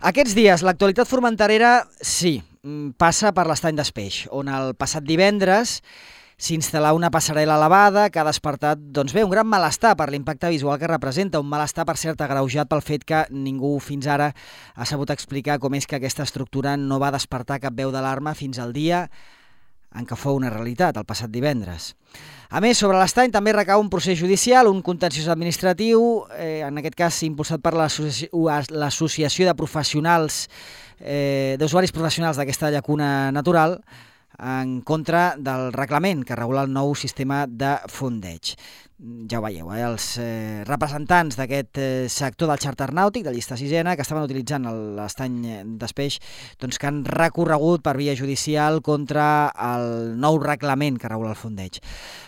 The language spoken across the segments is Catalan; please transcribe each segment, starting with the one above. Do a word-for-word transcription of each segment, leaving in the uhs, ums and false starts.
Aquests dies, l'actualitat formenterera, sí, passa per l'Estany d'Espeix, on el passat divendres s'instal·là una passarel·la elevada que ha despertat, doncs bé, un gran malestar per l'impacte visual que representa, un malestar, per cert, agreujat pel fet que ningú fins ara ha sabut explicar com és que aquesta estructura no va despertar cap veu d'alarma fins al dia en què fou una realitat, el passat divendres. A més, sobre l'estany també recau un procés judicial, un contenciós administratiu, eh, en aquest cas impulsat per l'Associació de Professionals, eh, d'Usuaris Professionals d'aquesta llacuna natural, en contra del reglament que regula el nou sistema de fondeig. Ja ho veieu, eh? Els eh, representants d'aquest eh, sector del xàrter nàutic, de llista sisena, que estaven utilitzant l'estany d'Espeix, doncs que han recorregut per via judicial contra el nou reglament que regula el fondeig.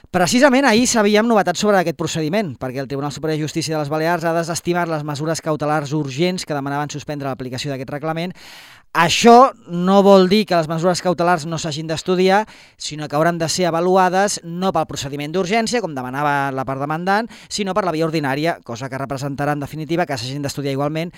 Precisament ahir sabíem novetats sobre aquest procediment, perquè el Tribunal Superior de Justícia de les Balears ha desestimat les mesures cautelars urgents que demanaven suspendre l'aplicació d'aquest reglament. Això no vol dir que les mesures cautelars no s'hagin d'estudiar, sinó que hauran de ser avaluades no pel procediment d'urgència, com demanava la part demandant, sinó per la via ordinària, cosa que representarà en definitiva que s'hagin d'estudiar igualment,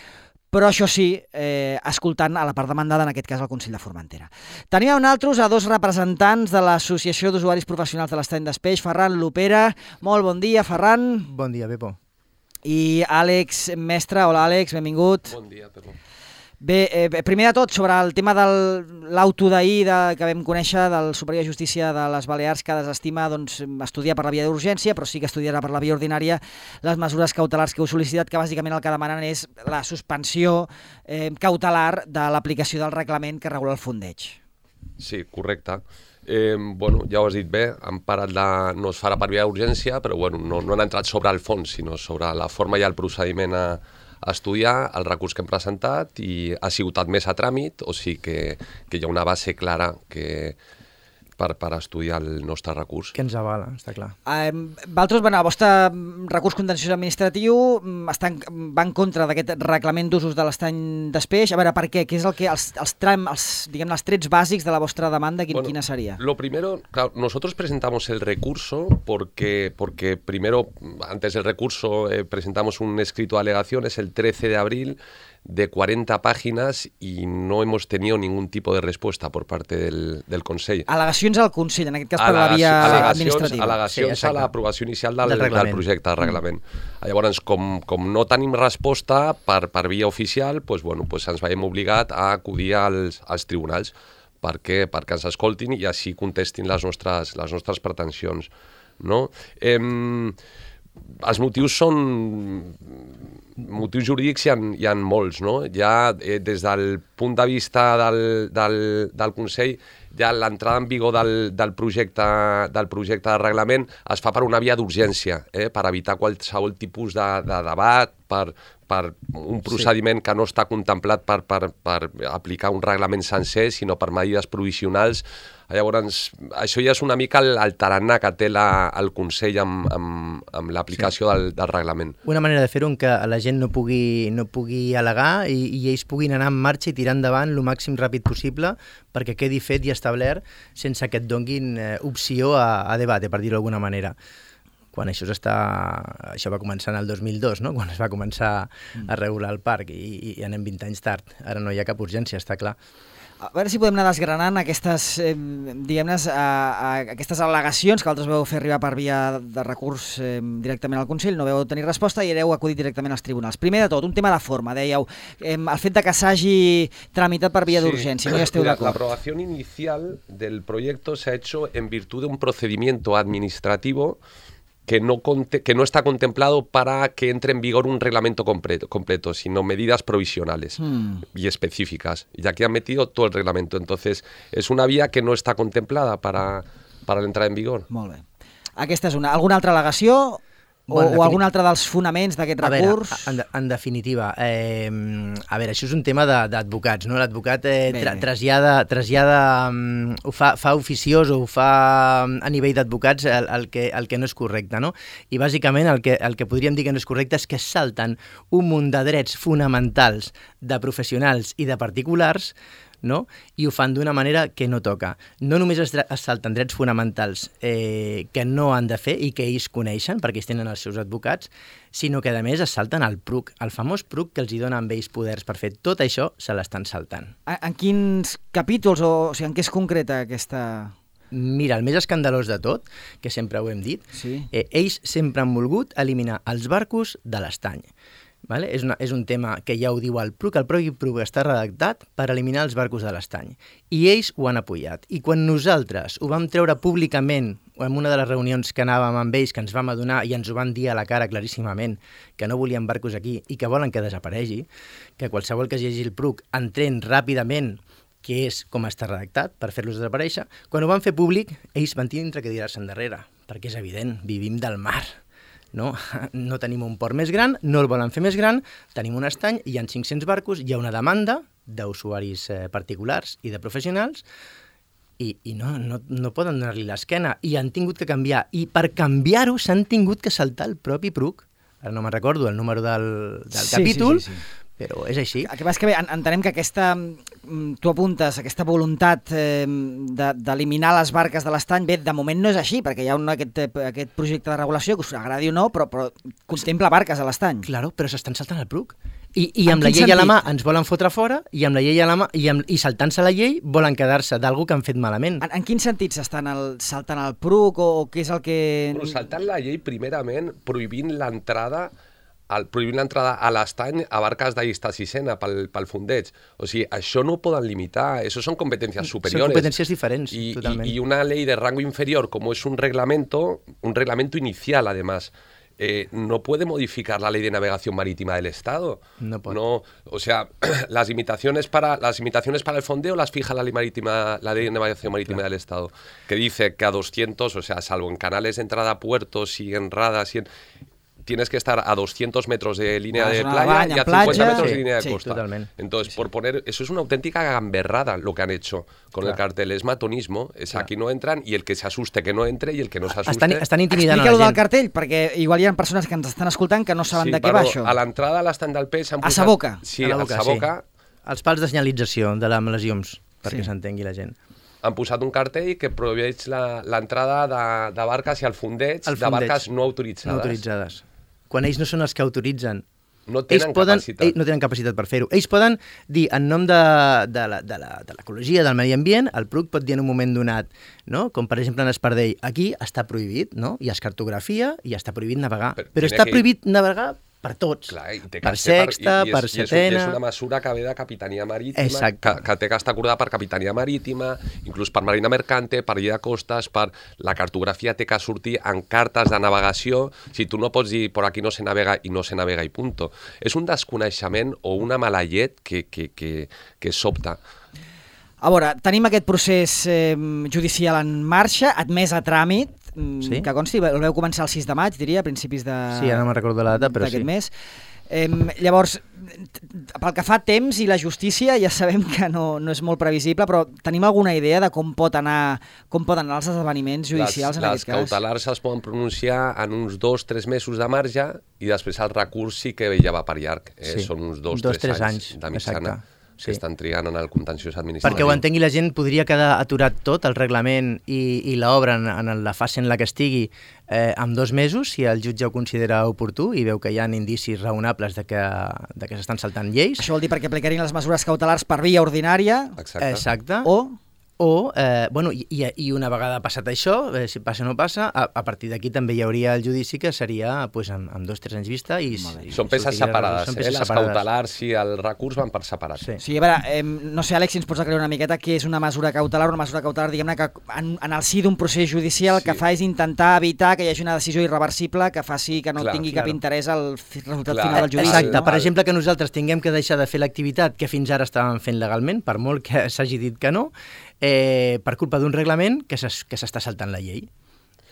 però això sí, eh, escoltant a la part demandada, en aquest cas el Consell de Formentera. Teníem nosaltres a dos representants de l'Associació d'Usuaris Professionals de l'Estany d'Espeix, Ferran Lopera. Molt bon dia, Ferran. Bon dia, Pepo. I Àlex Mestre. Hola, Àlex, benvingut. Bon dia, Pepo. Bé, eh, primer de tot, sobre el tema de l'auto d'ahir que vam conèixer del Superior de Justícia de les Balears, que desestima doncs, estudiar per la via d'urgència, però sí que estudiarà per la via ordinària les mesures cautelars que heu sol·licitat, que bàsicament el que demanen és la suspensió eh, cautelar de l'aplicació del reglament que regula el fondeig. Sí, correcte. Eh, bueno, ja ho has dit bé, han parat la... no es farà per via d'urgència, però bueno, no, no han entrat sobre el fons, sinó sobre la forma i el procediment a a estudiar el recurs que hem presentat i ha sigut admès a tràmit, o sigui que, que hi ha una base clara que, per, per estudiar el nostre recurs. Que ens avala, està clar. Eh, Vosaltres, bueno, el vostre recurs contenciós administratiu està en, va en contra d'aquest reglament d'usos de l'estany d'Espeix. A veure, per què? Què és el que els, els, tram, els, diguem, els trets bàsics de la vostra demanda, quin, bueno, quina seria? Lo primero, claro, nosotros presentamos el recurso porque, porque primero, antes del recurso, eh, presentamos un escrito de alegaciones el trece de abril de cuarenta páginas y no hemos tenido ningún tipo de respuesta por parte del, del Consell. Al·legacions al Consell, en aquest cas per la via administrativa. Al·legacions sí, a l'aprovació inicial del, del, del projecte, del reglament. Mm. Llavors, com, com no tenim resposta per, per via oficial, pues, bueno, pues ens veiem obligat a acudir als, als tribunals perquè, perquè ens escoltin i així contestin les nostres, les nostres pretensions. No? Eh, els motius són... motius jurídics hi ha, hi ha molts, no? Ja eh, des del punt de vista del, del, del Consell, ja l'entrada en vigor del, del, projecte, del projecte de reglament es fa per una via d'urgència, eh? Per evitar qualsevol tipus de, de debat, per, per un procediment sí. que no està contemplat per, per, per aplicar un reglament sencer, sinó per mesures provisionals. Llavors, això ja és una mica el, el tarannà que té la, el Consell amb, amb, amb l'aplicació sí. del, del reglament. Una manera de fer-ho en què la gent no pugui, no pugui al·legar i, i ells puguin anar en marxa i tirar endavant el màxim ràpid possible perquè quedi fet i establert sense que et donguin eh, opció a, a debat, per dir-ho d'alguna manera. Quan això està, això va començar en el dos mil dos, no? Quan es va començar a regular el parc i, i anem vint anys tard. Ara no hi ha cap urgència, està clar. A veure si podem anar desgranant aquestes, eh, diguem-ne, aquestes al·legacions que vosaltres vau fer arribar per via de recurs eh, directament al Consell, no vau tenir resposta i hereu acudit directament als tribunals. Primer de tot, un tema de forma, dèieu, eh, el fet de que s'hagi tramitat per via sí. d'urgència, no hi esteu d'acord. La aprobación inicial del proyecto se ha hecho en virtud de un procedimiento administrativo que no, que no está contemplado para que entre en vigor un reglamento completo, completo sino medidas provisionales mm. y específicas. Y aquí han metido todo el reglamento. Entonces, es una vía que no está contemplada para, para la entrada en vigor. Molt bé. Aquesta és una. Alguna altra al·legació? O, bueno, o algun altre dels fonaments d'aquest recurs? A veure, en, en definitiva, eh, a veure, això és un tema d'advocats, no? L'advocat eh, tra, trasllada, trasllada um, ho fa, fa oficiós o ho fa a nivell d'advocats el, el, que, el que no és correcte, no? I bàsicament el que, el que podríem dir que no és correcte és que es salten un munt de drets fonamentals de professionals i de particulars no? I ho fan d'una manera que no toca. No només es, es salten drets fonamentals eh, que no han de fer i que ells coneixen, perquè ells tenen els seus advocats, sinó que a més es salten el P R U C, el famós P R U C que els hi dona amb ells poders per fer tot això, se l'estan saltant. En, en quins capítols, o, o sigui, en què es concreta aquesta... Mira, el més escandalós de tot, que sempre ho hem dit, sí. eh, ells sempre han volgut eliminar els barcos de l'estany. Vale? És, una, és un tema que ja ho diu el P R U C, el propi P R U C està redactat per eliminar els barcos de l'estany. I ells ho han apoyat. I quan nosaltres ho vam treure públicament, en una de les reunions que anàvem amb ells, que ens vam adonar i ens ho van dir a la cara claríssimament, que no volien barcos aquí i que volen que desaparegui, que qualsevol que es llegeixi el P R U C entén ràpidament que és com està redactat, per fer-los desaparèixer, quan ho van fer públic, ells van tindre que tirar-se endarrere, perquè és evident, vivim del mar. No? no tenim un port més gran, no el volen fer més gran, tenim un estany, hi ha cinc-cents barcos, hi ha una demanda d'usuaris eh, particulars i de professionals, i, i no, no, no poden donar-li l'esquena, i han tingut que canviar, i per canviar-ho s'han tingut que saltar el propi P R U C. Ara no me'n recordo el número del, del sí, capítol, sí, sí, sí. Però és així. El que passa és que bé, entenem que aquesta, tu apuntes, aquesta voluntat eh, d'eliminar les barques de l'estany, bé, de moment no és així, perquè hi ha un, aquest, aquest projecte de regulació, que us agradi o no, però, però contempla barques a l'estany. Claro, però s'estan saltant el P R U C. I, i amb la llei sentit? A la mà ens volen fotre fora, i amb la llei a la mà, i, amb, i saltant-se la llei volen quedar-se d'algú que han fet malament. En, en quin sentit s'estan el, saltant el P R U C, o, o què és el que... Però saltant la llei, primerament, prohibint l'entrada el prohibint l'entrada a l'estany a barques de llista sisena pel, pel fondeig. O sigui, això no ho poden limitar, això són competències superiores. Són competències diferents, y, totalment. Y, y una ley de rango inferior, como es un reglamento, un reglamento inicial además, eh, no puede modificar la ley de navegación marítima del Estado. No puede. No, o sea, las limitaciones para las limitaciones para el fondeo las fija la ley marítima, la ley de navegación marítima claro. del Estado, que dice que a doscientos, o sea, salvo en canales de entrada a puertos y en radas y en... tienes que estar a doscientos metros de línea de playa baña, y a cincuenta playa, metros sí, de línea de sí, costa. Totalmente. Entonces, sí, por sí. poner... Eso es una auténtica gamberrada lo que han hecho con claro. el cartel. Es matonismo. Es claro. Aquí no entran y el que se asuste que no entre y el que no se asuste... Estan, estan intimidant Explica-ho a la del cartell, perquè igual hi ha persones que ens estan escoltant que no saben sí, de què va això. A l'entrada a l'estany del peix... A sa boca. Sí, a la boca, a sa boca. Sí. Els pals de senyalització de les lesions, perquè sí. s'entengui la gent. Han posat un cartell que prohibeix l'entrada de, de barques i el fondeig, el fondeig de barques no autoritzades. No autoritzades. Quan ells no són els que autoritzen, no tenen poden, capacitat. Ells no tenen capacitat per fer-ho. Ells poden dir, en nom de, de, la, de, la, de l'ecologia, del medi ambient, el P R U C pot dir en un moment donat, no? Com per exemple en Espardell, aquí està prohibit, no? Hi ha cartografia i està prohibit navegar. Però, Però està que... prohibit navegar per tots, clar, per sexta, per, i, i és, per setena... I és una mesura que ve de Capitania Marítima, Exacte. que, que té que estar acordada per Capitania Marítima, inclús per Marina Mercante, per Llei de Costes, per la cartografia té que sortir en cartes de navegació. Si tu no pots dir por aquí no se navega i no se navega i punto. És un desconeixement o una mala llet que, que, que, que sobta. A veure, tenim aquest procés eh, judicial en marxa, admès a tràmit, sí? que consti, el veu començar el sis de maig, diria, a principis de... Sí, ara no me'n recordo la data, però sí. mes. Eh, llavors, pel que fa a temps i la justícia, ja sabem que no, no és molt previsible, però tenim alguna idea de com pot anar, com poden anar els esdeveniments judicials les, en aquest cas? Les cautelars es poden pronunciar en uns dos, tres mesos de marge i després el recurs sí que ja va per llarg. Eh, sí. Són uns dos, dos tres, tres anys, anys de mitjana. Exacte. que sí. estan triant en el contenciós administratiu. Perquè ho entengui la gent, podria quedar aturat tot, el reglament i, i l'obra en, en la fase en la que estigui eh, en dos mesos, si el jutge ho considera oportú i veu que hi ha indicis raonables de que, de que s'estan saltant lleis. Això vol dir perquè aplicarien les mesures cautelars per via ordinària. Exacte. Exacte. O... O, eh, bueno, i, i una vegada passat això, eh, si passa o no passa, a, a partir d'aquí també hi hauria el judici que seria pues, amb, amb dos o tres anys vista. I, i són peces separades, són peces eh? Les separades. cautelars i el recurs van per separat. Sí. Sí, a veure, eh, no sé, Àlex, si ens pots aclarir una miqueta què és una mesura cautelar, una mesura cautelar, diguem-ne, que en, en el si d'un procés judicial el sí. que fa és intentar evitar que hi hagi una decisió irreversible que faci que no clar, tingui clar. cap interès al resultat clar. final del judici. Exacte, no? per exemple, que nosaltres tinguem que deixar de fer l'activitat que fins ara estàvem fent legalment, per molt que s'hagi dit que no, Eh, per culpa d'un reglament que s'està saltant la llei.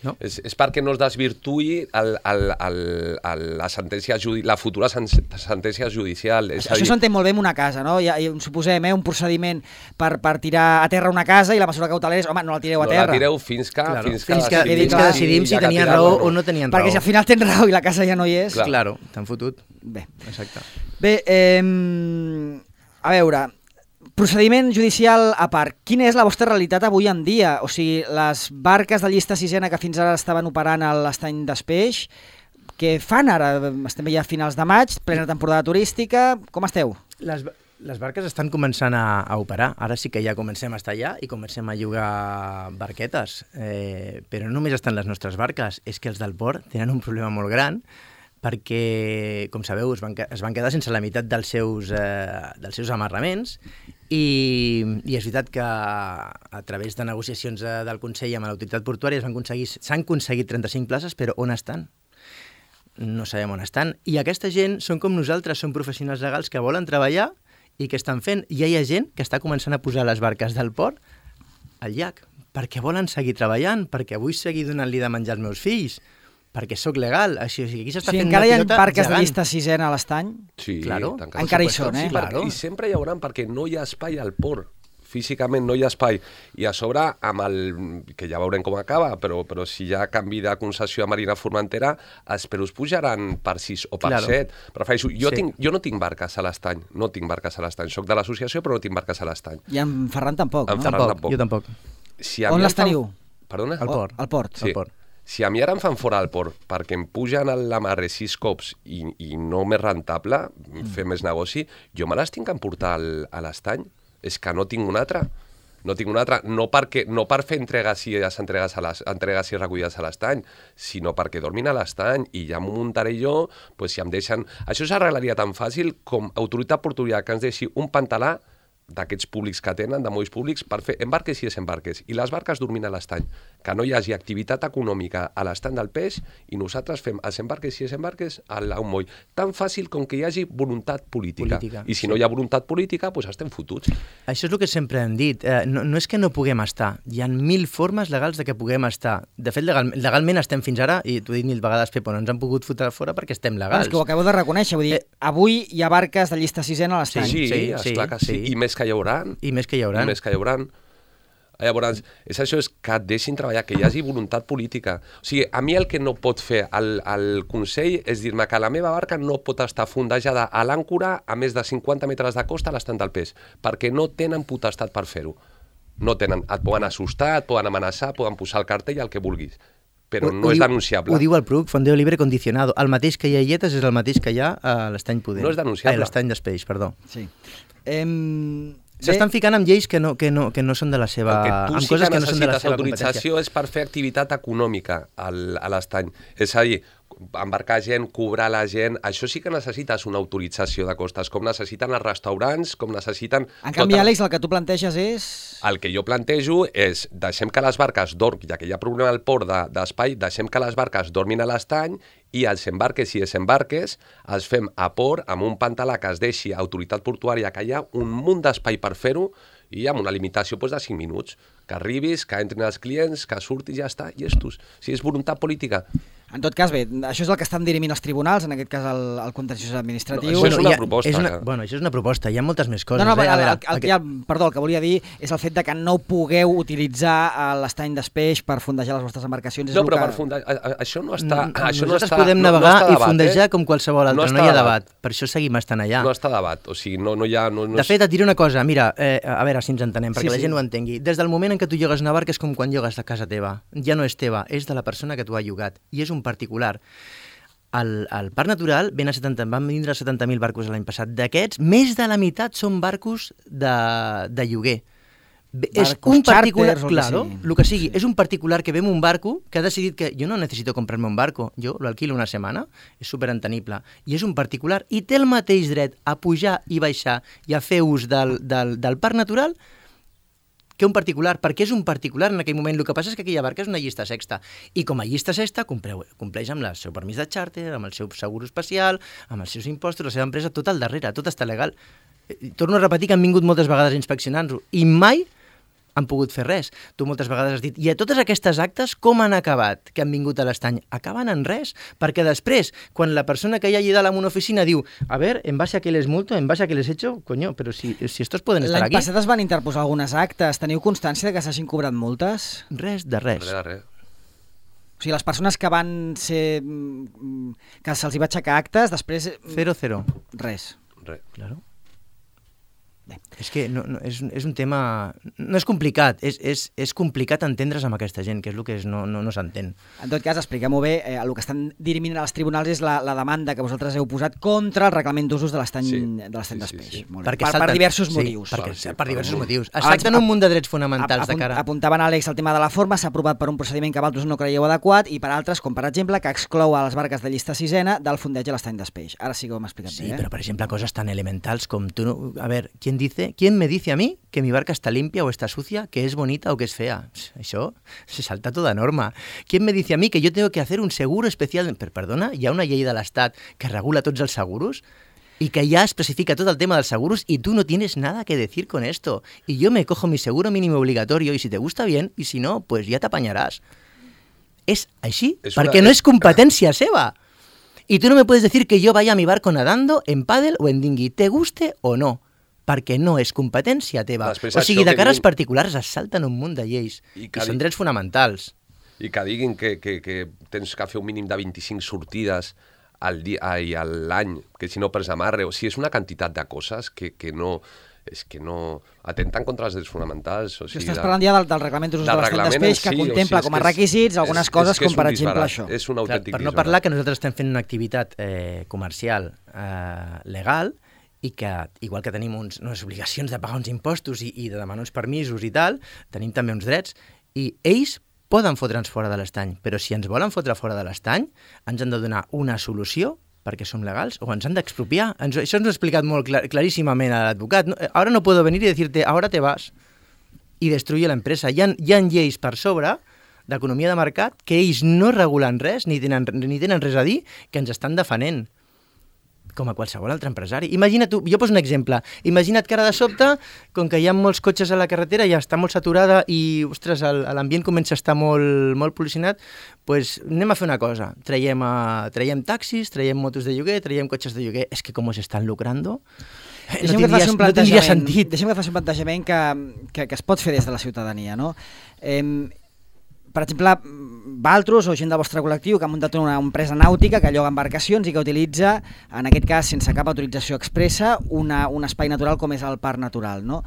No? És, és perquè no es desvirtuï el, el, el, el, la, sentència judi la futura sen sentència judicial. És Això dir... s'entén molt bé en una casa, no? Ja, suposem eh, un procediment per, per tirar a terra una casa i la mesura cautelar és, home, no la tireu a terra. No la tireu fins que, claro. fins que, fins que, decidim, fins que decidim si ja tenien raó o no tenien raó. Perquè si al final tens raó i la casa ja no hi és... Clar. Claro, t'han fotut. Bé, Exacte. bé eh, a veure... procediment judicial a part, quina és la vostra realitat avui en dia? O sigui, les barques de llista sisena que fins ara estaven operant a l'estany d'Espeix, què fan ara? Estem ja a finals de maig, plena temporada turística, com esteu? Les, les barques estan començant a, a operar, ara sí que ja comencem a estar allà i comencem a llogar barquetes, eh, però no només estan les nostres barques, és que els del port tenen un problema molt gran, perquè, com sabeu, es van, es van quedar sense la meitat dels seus, eh, dels seus amarraments i, i és veritat que a través de negociacions eh, del Consell amb l'autoritat portuària s'han aconseguit, s'han aconseguit trenta-cinc places, però on estan? No sabem on estan. I aquesta gent són com nosaltres, són professionals legals que volen treballar i que estan fent. I hi ha gent que està començant a posar les barques del port al llac perquè volen seguir treballant, perquè vull seguir donant-li de menjar als meus fills, perquè sóc legal. Així, aquí s'està sí, fent encara una hi ha pilota barques gegant. de llista sisena a l'estany? Sí, claro. tancats. Encara hi són, eh? Sí, claro. I sempre hi haurà, perquè no hi ha espai al port. Físicament no hi ha espai. I a sobre, amb el, que ja veurem com acaba, però, però si hi ha canvi de concessió a Marina Formentera, els preus pujaran per sis o per claro. set. Prefereixo, jo, sí. tinc, jo no tinc barques a l'estany, no tinc barques a l'estany. Soc de l'associació, però no tinc barques a l'estany. I en Ferran tampoc, En no? Ferran Tampoc, tampoc. jo tampoc. Si a On mi les em fan- teniu? Perdona? Al port. Al port. Sí. Al port. Si a mi ara em fan fora al port perquè em pugen a l'amarre sis cops i, i no m'és rentable, mm. fer més negoci, jo me les tinc que emportar al, a l'estany. És que no tinc una altra. No tinc una altra, no, perquè, no per fer entregues i, entregues, a les, entregues i recollides a l'estany, sinó perquè dormin a l'estany i ja m'ho muntaré jo, pues, si em deixen... Això s'arreglaria tan fàcil com autoritat portuària que ens deixi un pantalà d'aquests públics que tenen, de molls públics, per fer embarques i desembarques. I les barques dormint a l'estany. Que no hi hagi activitat econòmica a l'estany del peix i nosaltres fem els embarques i desembarques a un moll. Tan fàcil com que hi hagi voluntat política. Política, I si sí. no hi ha voluntat política, doncs estem fotuts. Això és el que sempre hem dit. Eh, no, no és que no puguem estar. Hi ha mil formes legals de que puguem estar. De fet, legal, legalment estem fins ara, i t'ho he dit mil vegades, Pepo, no ens han pogut fotre fora perquè estem legals. És que ho acabo de reconèixer. Vull dir, Eh. avui hi ha barques de llista sisena a l'estany. Sí, sí, sí, sí, esclar que sí. sí. I més que hi haurà. I més que hi haurà. I més que hi haurà. Llavors, és això, és que et deixin treballar, que hi hagi voluntat política. O sigui, a mi el que no pot fer el, el Consell és dir-me que la meva barca no pot estar fondejada a l'àncora a més de cinquanta metres de costa a l'estany del peix, perquè no tenen potestat per fer-ho. No tenen. Et poden assustar, et poden amenaçar, poden posar el cartell, el que vulguis. Però Ho- no ho és diu- denunciable. Ho diu el P R U C, Fondeo Libre Condicionado. El mateix que hi ha a Illetes és el mateix que hi ha a l'estany Pudent. No és denunciable. Ai, l'estany d'Espeix, perdó. Sí. Em... S'estan ficant amb lleis que no, que no, que no són de la seva... El que tu amb sí coses que que no són de la necessites seva autorització competència. és per fer activitat econòmica al, a l'estany. És a dir, embarcar gent, cobrar la gent, això sí que necessites una autorització de costes, com necessiten els restaurants, com necessiten... En canvi, tota- Àlex, el que tu planteges és... El que jo plantejo és deixem que les barques dormin, ja que hi ha problema al port de- d'espai, deixem que les barques dormin a l'estany i els embarques i desembarques els fem a port amb un pantalà que es deixi autoritat portuària, que hi ha un munt d'espai per fer-ho i amb una limitació doncs, de cinc minuts. Que arribis, que entrin els clients, que surti i ja està, i estos. Si és voluntat política. En tot cas, bé, això és el que estan dirimint els tribunals, en aquest cas el, el contenciós administratiu. No, això és una hi ha- proposta, És una, que- bueno, això és una proposta, hi ha moltes més coses. No, no, eh? el, A veure, el, el, el que- ja, perdó, el que volia dir és el fet de que no pugueu utilitzar eh, l'estany d'Espeix per fondejar les vostres embarcacions. És No, el però que... per fundar... a- a- Això no està... Mm, això no Nosaltres està, podem no, navegar no està i debat, fondejar eh? com qualsevol altre, No no, està hi ha debat. debat. Per això seguim estant allà. No està debat, o sigui, no, no hi ha... No, no De és- fet, et diré una cosa, mira, eh, a veure si ens entenem, perquè Sí, la sí. gent ho entengui. Des del moment en què tu llogues una barca és com quan llogues a casa teva. Ja no és teva, és de la persona que t'ho ha llogat. I és un particular. Al, al Parc Natural ven a setanta, van vindre setanta mil barcos l'any passat. D'aquests, més de la meitat són barcos de, de lloguer. Bé, és Barcos un particular, xàrters o el que claro, sigui. el que sigui. Sí. És un particular que ve amb un barco que ha decidit que jo no necessito comprarme un barco, jo lo alquilo una setmana, és superentenible. I és un particular i té el mateix dret a pujar i baixar i a fer ús del, del, del Parc Natural que un particular, perquè és un particular en aquell moment. El que passa és que aquella barca és una llista sexta, i com a llista sexta compreu, compleix amb el seu permís de xàrter, amb el seu seguro especial, amb els seus impostos, la seva empresa, tot al darrere, tot està legal. Eh, Torno a repetir que han vingut moltes vegades inspeccionant-ho, i mai han pogut fer res. Tu moltes vegades has dit, i a totes aquestes actes com han acabat, que han vingut a l'estany? Acaben en res, perquè després, quan la persona que hi ha allà dalt en una oficina diu, a ver, en base a què les multo, en base a què les hecho, coño, però si, si estos poden estar L'any aquí... passat es van interposar algunes actes. Teniu constància de que s'hagin cobrat multes? Res de res. Res de res. O sigui, les persones que van ser... mm, que se'ls hi va aixecar actes, després... mm, Cero, cero. Res. Res. Claro. És que no, no, és, és un tema... No és complicat, és, és, és complicat entendre's amb aquesta gent, que és el que és, no, no, no s'entén. En tot cas, expliquem-ho bé, eh, el que estan dirimint als tribunals és la, la demanda que vosaltres heu posat contra el reglament d'usos de l'estany Sí. de l'estany Sí, sí, d'Espeix. sí. Molt bé. Perquè Per, per salten- diversos sí, motius. perquè, Sí, per diversos per- motius. Es Abans- tracten un munt de drets fonamentals Apunt- de cara... Apuntaven, Àlex, el tema de la forma, s'ha aprovat per un procediment que vosaltres no creieu adequat i per altres, com per exemple, que exclou a les barques de llista sisena del fondeig a l'estany d'Espeix. Ara sí que ho hem explicat Sí, bé, eh? pero por ejemplo, cosas tan elementales como tú... no- A ver, ¿quién dice, quién me dice a mí que mi barca está limpia o está sucia, que es bonita o que es fea? Eso se salta toda norma. ¿Quién me dice a mí que yo tengo que hacer un seguro especial? Per, perdona, hi ha una llei de l'Estat que regula tots els seguros y que ya especifica todo el tema dels seguros y tú no tienes nada que decir con esto. Y yo me cojo mi seguro mínimo obligatorio y si te gusta bien y si no, pues ya t'apanyaràs. És així, És una- perquè no és- és competència seva. Y tú no me puedes decir que yo vaya a mi barco nadando en pádel o en dinghy, te guste o no, perquè no és competència teva. Després O sigui, això de que cares diguin- particulars es salten un munt de lleis I i, que són di- drets fonamentals. I que diguin que, que, que tens que fer un mínim de vint-i-cinc sortides al dia, ai, a l'any, que si no perds amarre, o sigui, és una quantitat de coses que, que no... És que no... Atenten contra els drets fonamentals. O sigui, Estàs de- parlant ja del, del reglament d'usos de del l'estany reglament d'Espeix, en que si, o contempla sigui, és com a que és- requisits algunes és- coses és que és com, per un exemple, disbarat, això. És un Clar, autèntic per no disbarat. parlar que nosaltres estem fent una activitat eh, comercial eh, legal i que, igual que tenim uns, unes obligacions de pagar uns impostos i, i de demanar uns permisos i tal, tenim també uns drets, i ells poden fotre'ns fora de l'estany, però si ens volen fotre fora de l'estany, ens han de donar una solució perquè som legals o ens han d'expropiar. Ens, això ens ho ha explicat molt clar, claríssimament a l'advocat. No, ahora no puedo venir y decirte, ahora te vas i destruir l'empresa. Hi ha, hi ha lleis per sobre d'economia de mercat que ells no regulen res ni tenen, ni tenen res a dir que ens estan defenent com a qualsevol altre empresari. Imagina't tu, jo poso un exemple, imagina't que ara de sobte, com que hi ha molts cotxes a la carretera, ja està molt saturada i, ostres, el- l'ambient comença a estar molt, molt pol·lucionat, pues anem a fer una cosa, traiem, a, traiem taxis, traiem motos de lloguer, traiem cotxes de lloguer, és que com se estan lucrando, eh, no Deixem que et tindria, faci un no tindria plantejament, sentit. deixem que et faci un plantejament que, que, que es pot fer des de la ciutadania, no? Eh, per exemple, Valtros o gent del vostre col·lectiu que ha muntat una empresa nàutica que lloga embarcacions i que utilitza, en aquest cas sense cap autorització expressa, una, un espai natural com és el Parc Natural, no?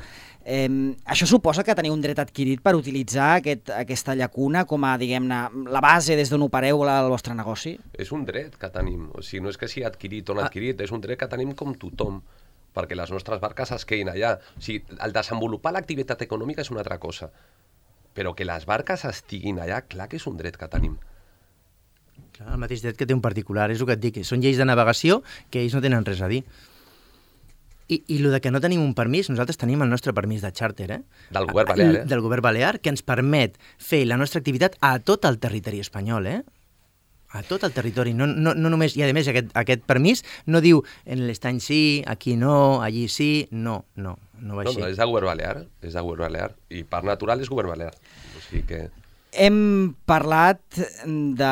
Eh, això suposa que teniu un dret adquirit per utilitzar aquest, aquesta llacuna com a, diguem-ne, la base des d'on opereu el vostre negoci? És un dret que tenim, o sigui, no és que sigui adquirit o no adquirit, és un dret que tenim com tothom, perquè les nostres barques es quedin allà. O sigui, el desenvolupar l'activitat econòmica és una altra cosa, però que les barques estiguin allà, clar que és un dret que tenim. Clar, el mateix dret que té un particular, és el que et dic, són lleis de navegació que ells no tenen res a dir. I, i el de que no tenim un permís, nosaltres tenim el nostre permís de xàrter, eh? Del govern balear, eh? Del govern balear, que ens permet fer la nostra activitat a tot el territori espanyol, eh? A tot el territori, no, no, no només, i a més aquest, aquest permís no diu en l'estany sí, aquí no, allí sí, no, no, no va No, així. no, és de govern balear, és de govern balear, i Parc Natural és govern balear. O sigui que... Hem parlat de,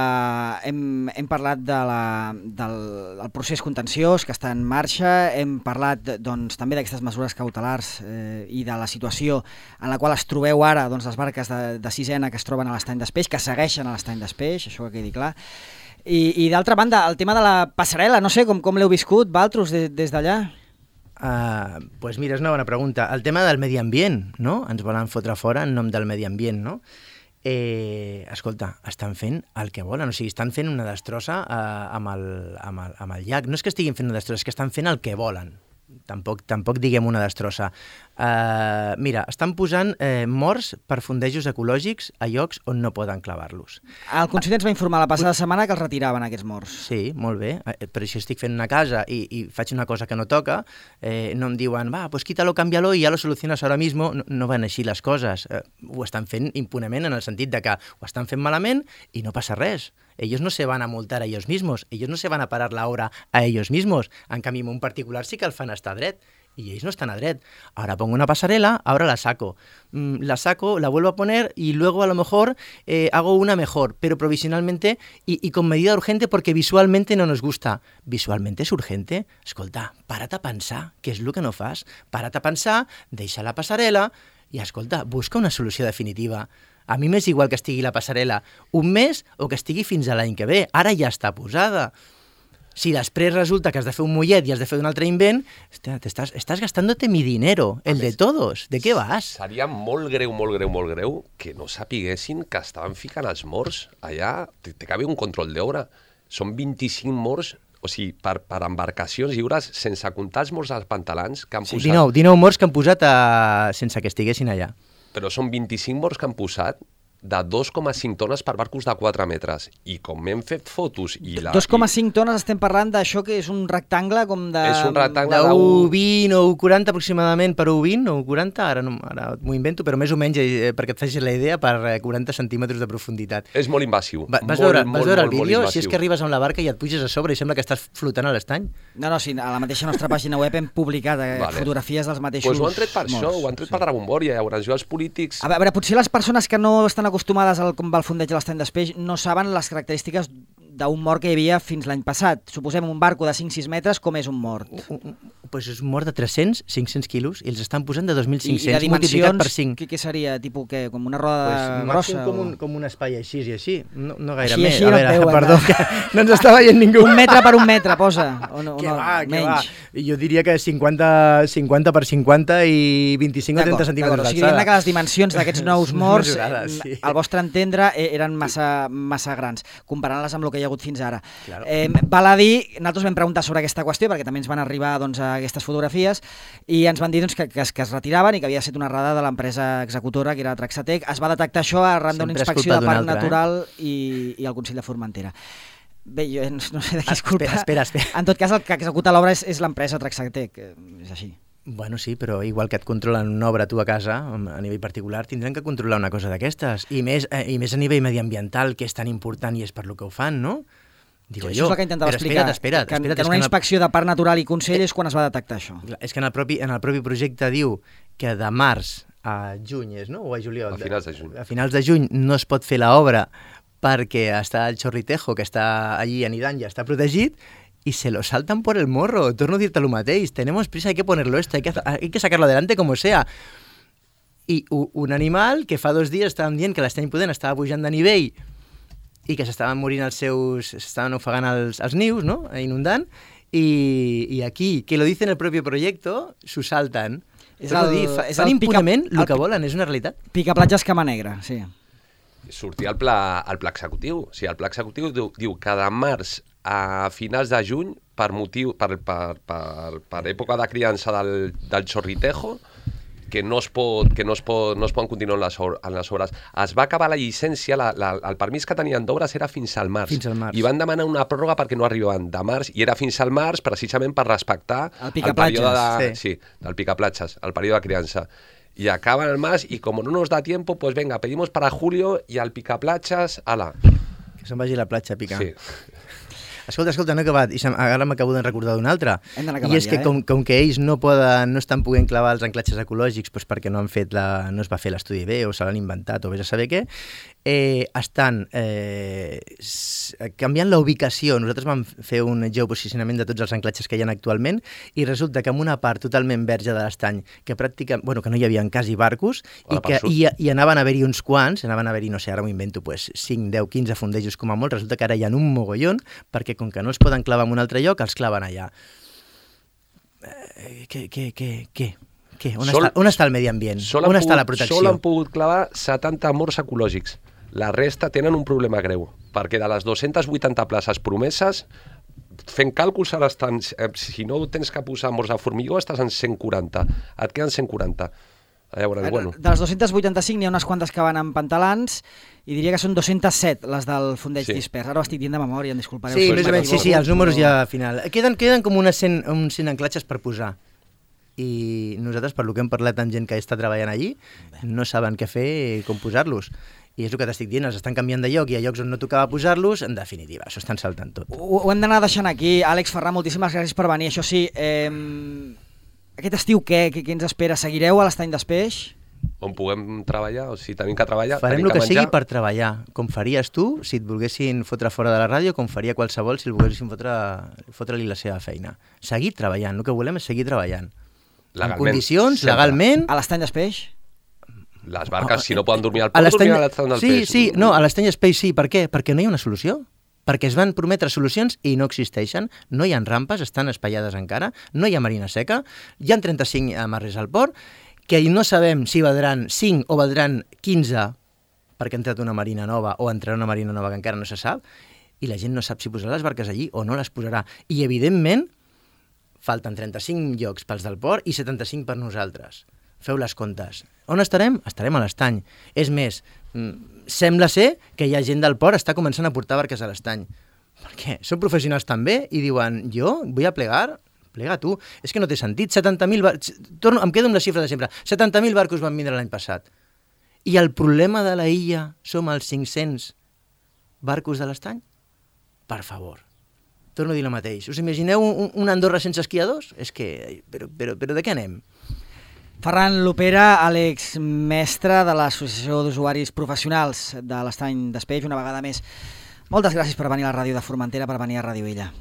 hem, hem parlat de la, del, del procés contenciós que està en marxa, hem parlat doncs, també d'aquestes mesures cautelars eh, i de la situació en la qual es trobeu ara doncs, les barques de, de sisena que es troben a l'estany d'Espeix, que segueixen a l'estany d'Espeix, això que quedi clar. I, i d'altra banda, el tema de la passarel·la, no sé com, com l'heu viscut, Valtros, de, des d'allà? Uh, pues mira, és una bona pregunta. El tema del medi ambient, no? Ens volen fotre fora en nom del medi ambient, no? Eh, escolta, estan fent el que volen, o sigui, estan fent una destrossa eh, amb, el, amb, el, amb el llac. No és que estiguin fent una destrossa, és que estan fent el que volen. Tampoc, tampoc diguem una destrossa. Uh, mira, estan posant eh, morts per fondejos ecològics a llocs on no poden clavar-los. El conseller ens va informar la passada setmana que els retiraven, aquests morts. Sí, molt bé, eh, però si estic fent una casa i, i faig una cosa que no toca, eh, no em diuen, va, pues quítalo, cámbialo i ja lo soluciones ahora mismo. No, no van així les coses. Eh, ho estan fent impunement en el sentit de que ho estan fent malament i no passa res. Ellos no se van a multar a ellos mismos, ellos no se van a parar la hora a ellos mismos. En canvi, en un particular sí que el fan estar dret. Y ellos no están a dret. Ahora pongo una pasarela, ahora la saco. Mm, la saco, la vuelvo a poner y luego a lo mejor eh, hago una mejor, pero provisionalmente y, y con medida urgente porque visualmente no nos gusta. Visualmente és urgente? Escolta, para't a pensar, què és el que no fas? Para't a pensar, deixa la passarel·la i, escolta, busca una solució definitiva. A mi m'és igual que estigui la passarel·la un mes o que estigui fins a l'any que ve. Ara ja està posada. Si després resulta que has de fer un mullet i has de fer un altre invent, hòstia, estàs, estàs gastándote mi dinero, el de todos. ¿De què vas? Seria molt greu, molt greu, molt greu que no sapiguessin que estaven ficant els morts allà. Té que haver un control d'obra. Són vint-i-cinc morts, o sigui, per, per embarcacions lliures, sense comptar els morts als pantalans que han Sí, posat. dinou, dinou morts que han posat a... sense que estiguessin allà. Però són vint-i-cinc morts que han posat de dos coma cinc tones per barcos de quatre metres. I com m'hem fet fotos... i la, dos coma cinc tones estem parlant d'això que és un rectangle com de... És un rectangle De de u vint o u quaranta aproximadament per u vint o u quaranta, ara, no, ara m'ho invento, però més o menys, eh, perquè et facis la idea, per eh, quaranta centímetres de profunditat. És molt invasiu. Va, vas molt, veure, molt, vas veure molt, el vídeo? molt Si és que arribes amb la barca i et puges a sobre i sembla que estàs flotant a l'estany. No, no, sí, a la mateixa nostra pàgina web hem publicat eh, Vale. fotografies dels mateixos Pues ho han tret per morts. això, ho han tret sí. per la bombòria. Llavors, jo els polítics... A veure, potser les persones que no estan acostumades al com va el fondeig de l'estany d'Espeix no saben les característiques d'un mort que hi havia fins l'any passat. Suposem un barco de cinc sis metres, com és un mort? Pues és un mort de tres-cents, cinc-cents quilos i els estan posant de dos mil I, i cinc-cents de multiplicat per dimensions, cinc. què, què seria? Tipus què? Com una roda Pues, grossa? com, o... un, com un espai així i així, no, no gaire Així, més. així a no veure, et veuen, perdó, no? que no ens està veient ningú. Un metre per un metre, posa. O no, Que no, va, que menys. va. Jo diria que cinquanta, cinquanta per cinquanta i vint-i-cinc o trenta centímetres O sigui, d'alçada. diguem que les dimensions d'aquests nous morts, Mesurades, eh, sí. al vostre entendre, eh, eren massa, massa grans, comparant-les amb el que hi ha hagut fins ara. Claro. Eh, val a dir, nosaltres vam preguntar sobre aquesta qüestió, perquè també ens van arribar doncs, a aquestes fotografies, i ens van dir doncs, que, que, es, que es retiraven i que havia estat una errada de l'empresa executora, que era Traxatec. Es va detectar això arran d'una Sempre és inspecció culpa de Parc d'un altre, Natural eh? i, i el Consell de Formentera. Bé, jo no sé de qui és culpa. Espera, espera, espera. En tot cas, el que executa l'obra és, és l'empresa Traxatec, eh, és així. Bueno, sí, però igual que et controlen una obra tu a casa, a nivell particular, tindran que controlar una cosa d'aquestes. I més, eh, I més a nivell mediambiental, que és tan important i és per lo que ho fan, no? Digo Això jo. és el que intentava Però explicar, espera't, espera't, que, espera't, que és en una que en el- inspecció de Parc Natural i Consell és quan es va detectar això. És que en el propi, en el propi projecte diu que de març a juny és, no? O a juliol? A finals de juny. A finals de juny no es pot fer l'obra perquè està el Chorritejo, que està allí anidant, ja està protegit, y se lo saltan por el morro. Torno a dir-te el mateix. Tenemos prisa, hay que ponerlo esto, hay que, hay que sacarlo adelante como sea. I un animal que fa dos dies estàvem dient que l'estany pudent estava pujant de nivell i que s'estaven morint els seus... s'estaven ofegant els, els nius, no?, inundant, i, i aquí, que lo dice en el propi projecte, s'ho salten. És Torno a el- dir, fa, és fan el pica- impunement el el que pi- volen, és una realitat. Picaplatges Cama Negra, sí. Sortia al pla, al pla executiu. O sigui, el pla executiu diu, diu que de març a finals de juny, per motiu per, per, per, per època de criança del, del Chorritejo, que no es pot, que no es pot, no es poden continuar en les, or, en les obres. Es va acabar la llicència, la, la, el permís que tenien d'obres era fins al març. Fins al març. I van demanar una pròrroga perquè no arribaven de març, i era fins al març precisament per respectar El picaplatges, període de, sí. sí, del picaplatges, el període de criança. Y acaban el más y como no nos da tiempo, pues venga, pedimos para julio y al picaplatges, ala. Que se'n vagi a la platja a picar. Sí. Escolta, escolta, no he acabat, i se- ara m'acabo de recordar d'un altre. Hem d'anar I acabant és que ja, eh? com, com que ells no poden, no estan podent clavar els anclatges ecològics doncs perquè no han fet la, no es va fer l'estudi bé o se l'han inventat o vés a saber què, eh, estan eh, s- canviant la ubicació. Nosaltres vam fer un geoposicionament de tots els anclatges que hi ha actualment i resulta que en una part totalment verge de l'estany, que pràcticament, bueno, que no hi havia quasi barcos A la i que part sud. i, i anaven a haver-hi uns quants, anaven a haver-hi, no sé, ara m'ho invento, pues, cinc, deu, quinze fondejos com a molt, resulta que ara hi ha un mogollon perquè com que no els poden clavar en un altre lloc, els claven allà. Eh, què, què, què, què? Què? On, Sol- està, on està el medi ambient? Sol On han està pogut, la protecció? Sol han pogut clavar setanta morts ecològics. La resta tenen un problema greu, perquè de les dues-centes vuitanta places promeses, fent càlculs ara estan, eh, si no tens que posar morts de formigó, estàs en cent quaranta. Et queden cent quaranta. Llavors, bueno, De les dues-centes vuitanta-cinc n'hi ha unes quantes que van amb pantalans i diria que són dues-centes set les del fondeig Sí. dispers. Ara ho estic dient de memòria, em disculpareu. Sí, si més o menys, sí, sí, els números ja al final. Queden, queden com unes cent, uns cent anclatges per posar. I nosaltres, per lo que hem parlat amb gent que està treballant allí, no saben què fer i com posar-los. I és el que t'estic dient, els estan canviant de lloc i a llocs on no tocava posar-los, en definitiva, s'ho estan saltant tot. Ho, ho hem d'anar deixant aquí. Àlex Ferrà, moltíssimes gràcies per venir. Això sí, eh, aquest estiu què, què, què ens espera? Seguireu a l'estany d'Espeix? on puguem treballar, o si tenim que treballar, Farem tenim el que, que sigui menjar. per treballar, com faries tu si et volguessin fotre fora de la ràdio, com faria qualsevol si el volguessin fotre, fotre-li la seva feina. Seguir treballant, el que volem és seguir treballant. En Legalment, condicions, sempre. legalment... A l'estany d'Espeix? Les barques, si no poden dormir al A port, l'estany- dormir a l'estany del sí, peix. sí, no, a l'estany Space sí, per què? Perquè no hi ha una solució. perquè es van prometre solucions i no existeixen. No hi ha rampes, estan espaiades encara, no hi ha marina seca, hi ha trenta-cinc amarres al port, que no sabem si valdran cinc o valdran quinze perquè ha entrat una marina nova o entrarà una marina nova que encara no se sap, i la gent no sap si posarà les barques allí o no les posarà. I, evidentment, falten trenta-cinc llocs pels del port i setanta-cinc per nosaltres. Feu les comptes. On estarem? Estarem a l'estany. És més, sembla ser que hi ha gent del port que està començant a portar barques a l'estany. Per què? Són professionals també i diuen, jo vull a plegar? Plega tu. És que no té sentit. setanta mil barcos... Torno, em quedo amb la xifra de sempre. setanta mil barcos van vindre l'any passat. I el problema de la illa som els cinc-cents barcos de l'estany? Per favor. Torno a dir el mateix. Us imagineu un, un Andorra sense esquiadors? És que... Però, però, però de què anem? Ferran Lopera, Àlex Mestre de l'Associació d'Usuaris Professionals de l'Estany d'Espeix, una vegada més. Moltes gràcies per venir a la ràdio de Formentera, per venir a Ràdio Illa.